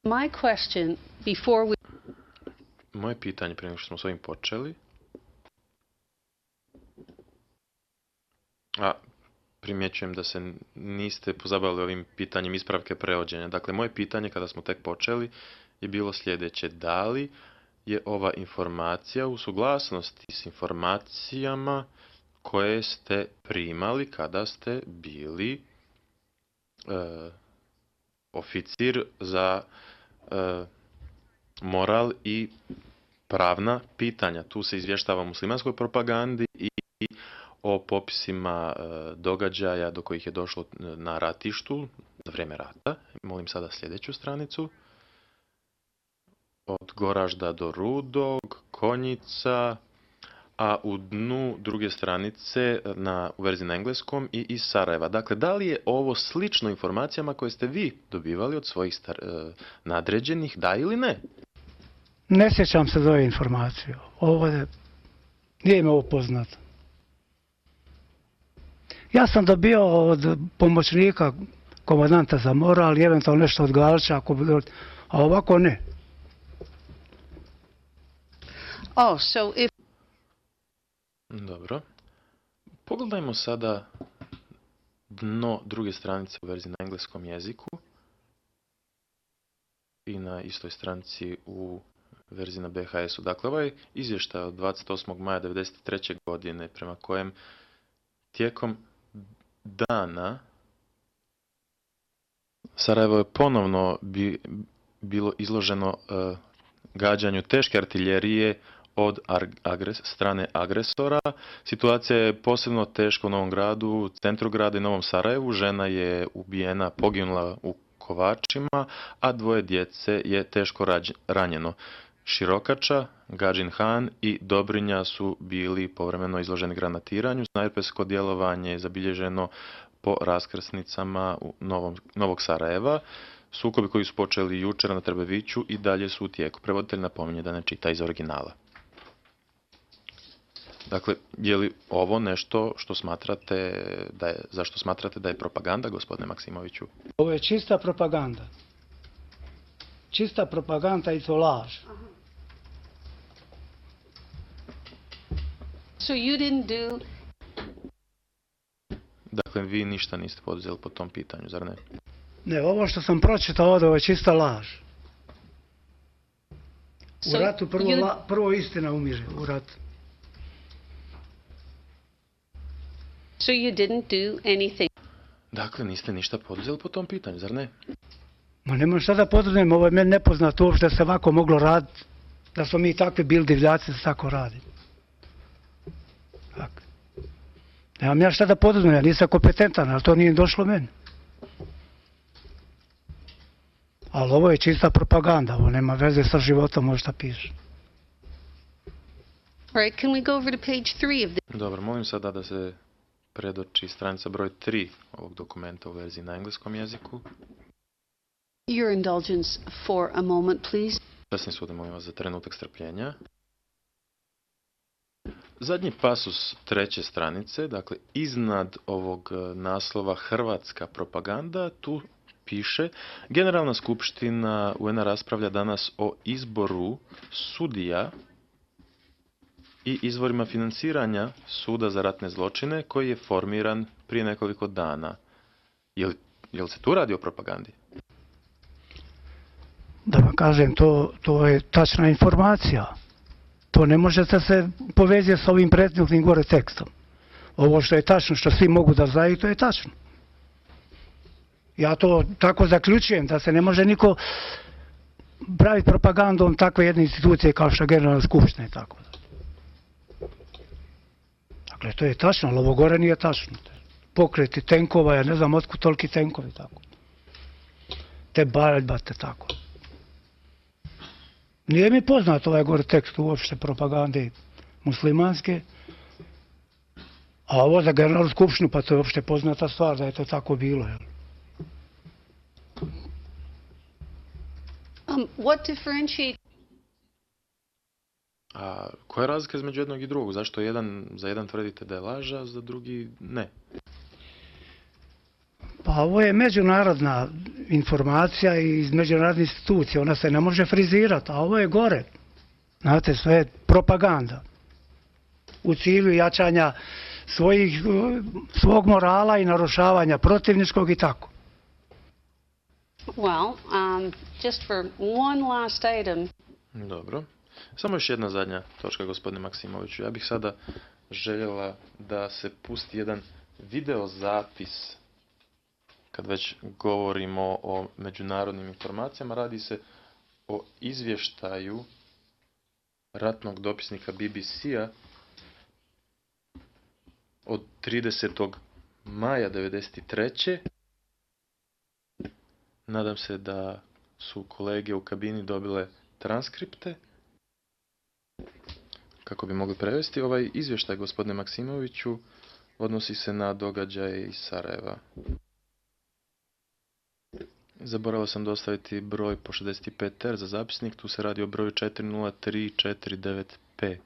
My question before we... Moje pitanje prije nego što smo s ovim počeli. Primjećujem da se niste pozabavili ovim pitanjem ispravke prevođenja. Dakle, moje pitanje kada smo tek počeli je bilo sljedeće. Da li je ova informacija u suglasnosti s informacijama koje ste primali kada ste bili oficir za moral i pravna pitanja? Tu se izvještava o muslimanskoj propagandi i o popisima događaja do kojih je došlo na ratištu za vrijeme rata. Molim sada sljedeću stranicu. Od Goražda do Rudog, Konjica, a u dnu druge stranice u verziji na engleskom i iz Sarajeva. Dakle, da li je ovo slično informacijama koje ste vi dobivali od svojih nadređenih, da ili ne? Ne sjećam se za ove informacije. Nije mi ovo poznato. Ja sam dobio od pomoćnika komandanta za moral i eventualno nešto od Galića, a ovako ne. Dobro. Pogledajmo sada dno druge stranice u verziji na engleskom jeziku i na istoj stranici u verziji na BHS-u. Dakle, ovaj izvještaj od 28. maja 1993. godine prema kojem tijekom dana Sarajevo je ponovno bilo izloženo gađanju teške artiljerije od strane agresora. Situacija je posebno teška u Novom Gradu, centru grada i Novom Sarajevu. Žena je ubijena, poginula u Kovačima, a 2 djece je teško ranjeno. Širokača, Gadžin Han i Dobrinja su bili povremeno izloženi granatiranju. Snajpersko djelovanje je zabilježeno po raskrsnicama Novog Sarajeva. Sukobi koji su počeli jučer na Trbeviću i dalje su u tijeku. Prevoditelj napominje da ne čita iz originala. Dakle, je li ovo nešto što smatrate zašto smatrate da je propaganda, gospodine Maksimoviću? Ovo je čista propaganda. Čista propaganda i to laž. So you didn't do... Dakle, vi ništa niste poduzeli po tom pitanju, zar ne? Ne, ovo što sam pročitao ovdje, ovo je čista laž. U ratu prvo istina umire, u ratu. So you didn't do anything. Dakle, niste ništa poduzeli po tom pitanju, zar ne? Ma nema šta da poduzmem, ovo je meni nepoznato uopšte da se ovako moglo raditi, da smo mi takvi bili divljaci da se tako radi. Dakle. Nemam ja šta da poduzmem, ja nisam kompetentan, ali to nije došlo meni. Ali ovo je čista propaganda, ovo nema veze sa životom, možda piše. Right, can we go over to page 3 of this? Dobro, molim sada da se predoči stranica broj 3 ovog dokumenta u verziji na engleskom jeziku. Your indulgence for a moment, please. Sasvim sude, molim vas za trenutak strpljenja. Zadnji pasus 3. stranice, dakle iznad ovog naslova Hrvatska propaganda, tu piše: Generalna skupština UN-a raspravlja danas o izboru sudija i izvorima financiranja suda za ratne zločine koji je formiran prije nekoliko dana. Je li se tu radi o propagandi? Da vam kažem, to je tačna informacija. To ne može da se povezuje s ovim prethodnim gore tekstom. Ovo što je tačno, što svi mogu da znaju, to je tačno. Ja to tako zaključujem, da se ne može niko praviti propagandom takve jedne institucije kao što je Generalna skupština i tako. Dakle, to je tačno, ali ovo gore nije tačno. Pokreti tenkova, ja ne znam otkud toliki tenkovi, tako. Te baljbate, tako. Nije mi poznat ovaj gore tekst uopšte propagande muslimanske, a ovo za Generalnu skupštinu, pa to je uopšte poznata stvar da je to tako bilo, jel? What differentiates? A koja je razlika između jednog i drugog? Zašto za jedan tvrdite da je laž, a za drugi ne? Pa ovo je međunarodna informacija iz međunarodnih institucija, ona se ne može frizirati, a ovo je gore. Znate, sve je propaganda. U cilju jačanja svog morala i narušavanja protivničkog i tako. Well, just for one last item. Dobro. Samo još jedna zadnja točka, gospodine Maksimoviću. Ja bih sada željela da se pusti jedan video zapis kad već govorimo o međunarodnim informacijama. Radi se o izvještaju ratnog dopisnika BBC-a od 30. maja 1993. Nadam se da su kolege u kabini dobile transkripte kako bi mogli prevesti. Ovaj izvještaj, gospodine Maksimoviću, odnosi se na događaje iz Sarajeva. Zaboravio sam dostaviti broj po 65R za zapisnik, tu se radi o broju 40349P.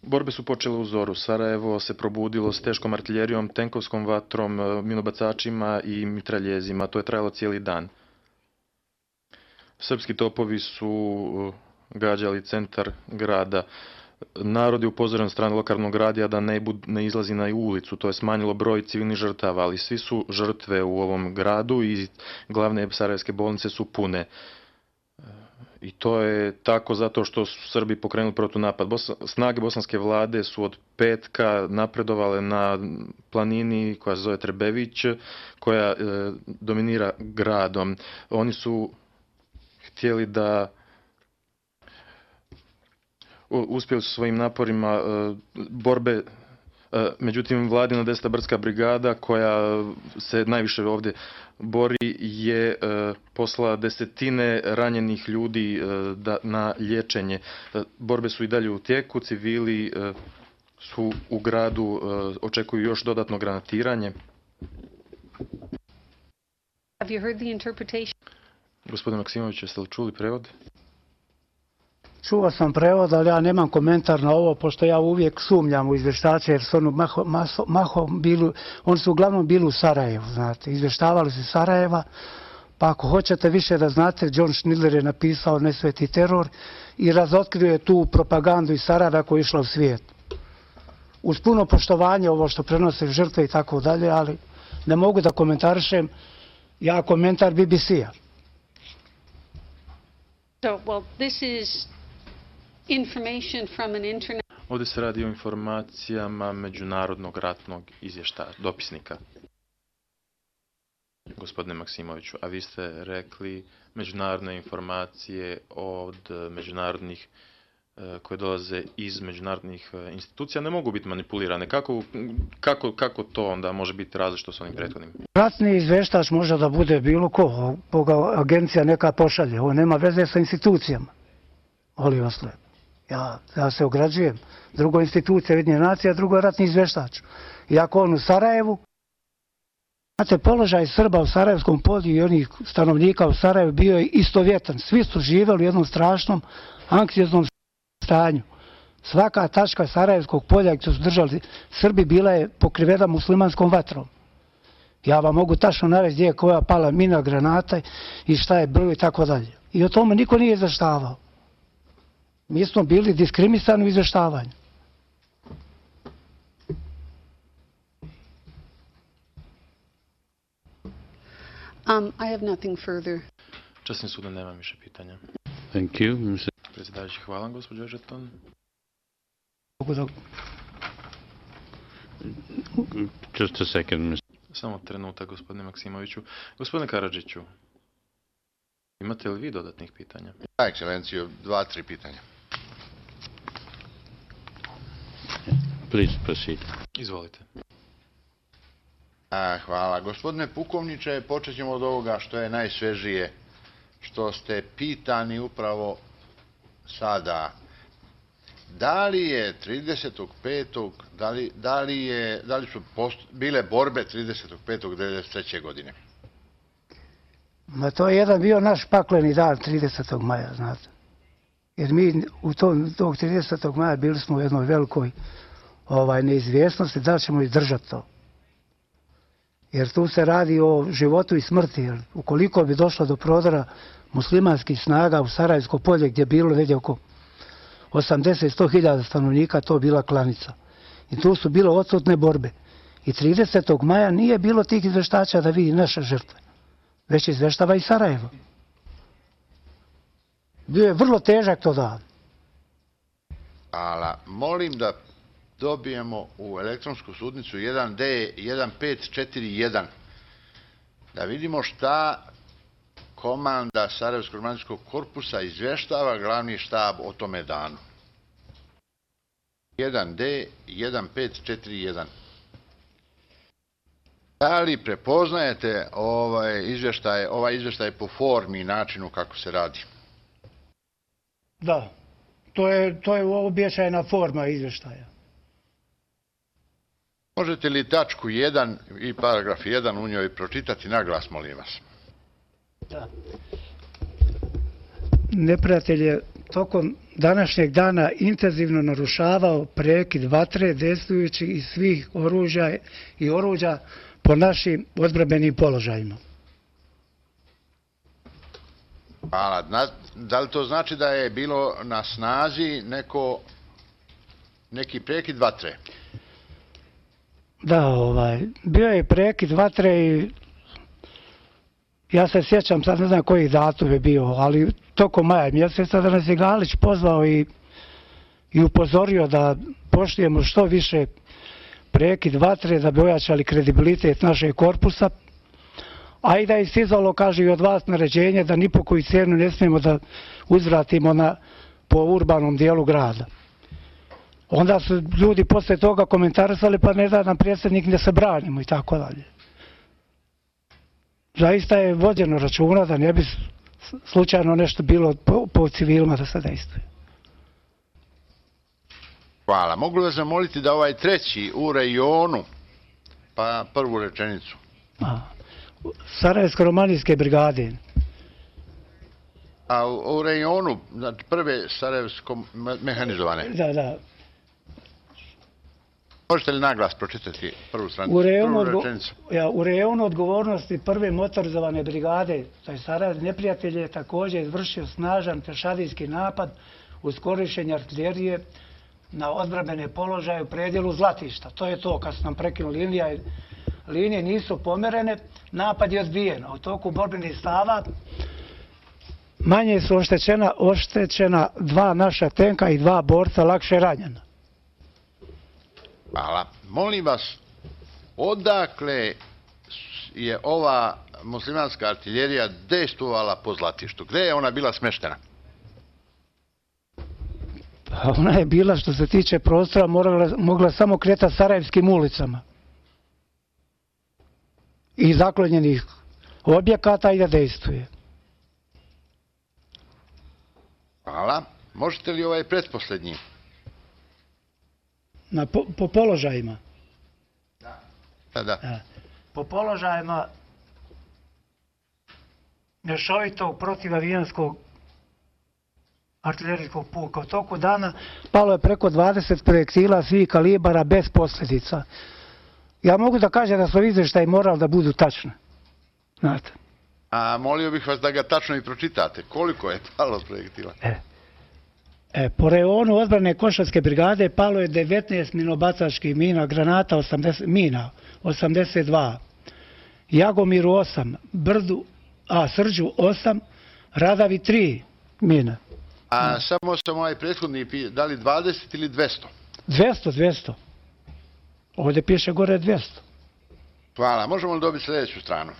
Borbe su počele u zoru. Sarajevo se probudilo s teškom artiljerijom, tenkovskom vatrom, minobacačima i mitraljezima. To je trajalo cijeli dan. Srpski topovi su gađali centar grada. Narod je upozoren od strane lokalnog radija da ne izlazi na ulicu. To je smanjilo broj civilnih žrtava, ali svi su žrtve u ovom gradu i glavne sarajevske bolnice su pune. I to je tako zato što su Srbi pokrenuli protunapad. Snage bosanske vlade su od petka napredovale na planini koja se zove Trebević, koja dominira gradom. Oni su htjeli da uspjeli su svojim naporima borbe, međutim vladina 10. brdska brigada koja se najviše ovdje bori je poslala desetine ranjenih ljudi na liječenje. Borbe su i dalje u tijeku, civili su u gradu, očekuju još dodatno granatiranje. Have you heard the interpretation? Gospodine Maksimović, jeste li čuli prevod? Čuo sam prevod, ali ja nemam komentar na ovo, pošto ja uvijek sumnjam u izvještače, jer su oni su uglavnom bili u Sarajevu, znate, izvještavali su Sarajeva, pa ako hoćete više da znate, John Schindler je napisao Nesveti teror i razotkrio je tu propagandu iz Sarajeva koja je išla u svijet. Uz puno poštovanje ovo što prenose žrtve i tako dalje, ali ne mogu da komentarišem, ja komentar BBC-a. So, well, this is information from an internet. Ovdje se radi o informacijama međunarodnog ratnog izvještaja, dopisnika. Gospodine Maksimoviću, a vi ste rekli međunarodne informacije od međunarodnih koje dolaze iz međunarodnih institucija ne mogu biti manipulirane. Kako to onda može biti različito s onim prethodnim? Ratni izvještač može da bude bilo koga agencija neka pošalje. Ovo nema veze sa institucijama. Molim vas lijepo. Ja se ograđujem. Drugo institucija Ujedinjenih nacija, drugo je ratni izvještač. Iako on u Sarajevu, znate, položaj Srba u Sarajevskom polju i onih stanovnika u Sarajevu bio je istovjetan. Svi su živjeli u jednom strašnom, anksioznom stanju. Svaka tačka Sarajevskog polja gdje su držali Srbi bila je pokrivena muslimanskom vatrom. Ja vam mogu tačno navesti gdje je koja pala mina, granata i šta je bilo i tako dalje. I o tome niko nije izvještavao. Mi smo bili diskriminisani u izvještavanju. I have nothing further. Časni sud, nema više pitanja. Thank you. Predsjedavajući, hvala, gospođo Žeton. Just a second, Mr. Samo trenutak, gospodine Maksimoviću. Gospodine Karadžiću, imate li vi dodatnih pitanja? Ekscelencijo, 2-3 pitanja. Please proceed. Izvolite. Hvala. Gospodine pukovniče, počet ćemo od ovoga što je najsvežije, što ste pitani upravo sada. Da li je 35. da li su bile borbe 35.1993. godine? Ma to je jedan bio naš pakleni dan 30. maja, znate. Jer mi u tog 30. maja bili smo u jednoj velikoj neizvjesnosti da li ćemo izdržati to. Jer tu se radi o životu i smrti. Jer ukoliko bi došlo do prodora muslimanskih snaga u Sarajevsko polje, gdje je bilo negdje oko 80-100 hiljada stanovnika, to bila klanica. I tu su bilo odsutne borbe. I 30. maja nije bilo tih izveštača da vidi naše žrtve, već izveštava i Sarajevo. Bio je vrlo težak to dan. Ali molim da dobijemo u elektronsku sudnicu 1D 1541 da vidimo šta komanda Sarajevskog romanijskog korpusa izvještava glavni štab o tome danu. 1D 1541. Da li prepoznajete ovaj izvještaj po formi i načinu kako se radi? Da, to je uobičajena forma izvještaja. Možete li tačku 1 i paragraf 1 u njoj pročitati naglas, molim vas? Da. Neprijatelj je tokom današnjeg dana intenzivno narušavao prekid vatre dejstvujući iz svih oružja i oruđa po našim odbrambenim položajima. Hvala. Da li to znači da je bilo na snazi neki prekid vatre? Da, bio je prekid vatre i ja se sjećam, sad ne znam koji datum je bio, ali tokom maja mjeseca da nas je Galić pozvao i upozorio da poštujemo što više prekid vatre da bi ojačali kredibilitet našeg korpusa, a i da je istizalo, kaže, i od vas naređenje da ni po koju cijenu ne smijemo da uzvratimo po urbanom dijelu grada. Onda su ljudi posle toga komentarisali, pa ne da nam predsjednik ne se branimo i tako dalje. Zaista je vođeno računa da ne bi slučajno nešto bilo po civilima da se dejstvuje. Hvala. Mogu li vas zamoliti da ovaj treći u rejonu, pa prvu rečenicu? Sarajevsko-romanijske brigade. A u rejonu, znači prve sarajevsko-mehanizovane? Da. Možete li naglas pročitati prvu stranicu? U rejonu odgovornosti prve motorizovane brigade, taj Sarajev, neprijatelj je također izvršio snažan pješadijski napad uz korištenje artiljerije na odbrambene položaje u predjelu Zlatišta. To je to, kad su nam prekinuli linije nisu pomerene, napad je odbijen. U toku borbenih stava manje su oštećena 2 naša tenka i 2 borca lakše ranjena. Hvala. Molim vas, odakle je ova muslimanska artiljerija dejstvovala po Zlatištu? Gde je ona bila smeštena? Ona je bila, što se tiče prostora, mogla samo kretati sarajevskim ulicama i zaklonjenih objekata i da dejstvuje. Hvala. Možete li ovaj pretposlednji? Po položajima? Da. Po položajima mješovitog protivavijanskog artiljerijskog puka. U toku dana palo je preko 20 projektila svih kalibara bez posljedica. Ja mogu da kažem da su izvještaji morali da budu tačni. Znate. A molio bih vas da ga tačno i pročitate. Koliko je palo projektila? Po rejonu odbrane Košarske brigade palo je 19 minobacačkih mina, granata 82, Jagomiru 8, Srđu 8, Radavi 3 mine. A samo sam ovaj prethodni, da li 20 ili 200? 200. Ovdje piše gore 200. Hvala. Možemo li dobiti sljedeću stranu?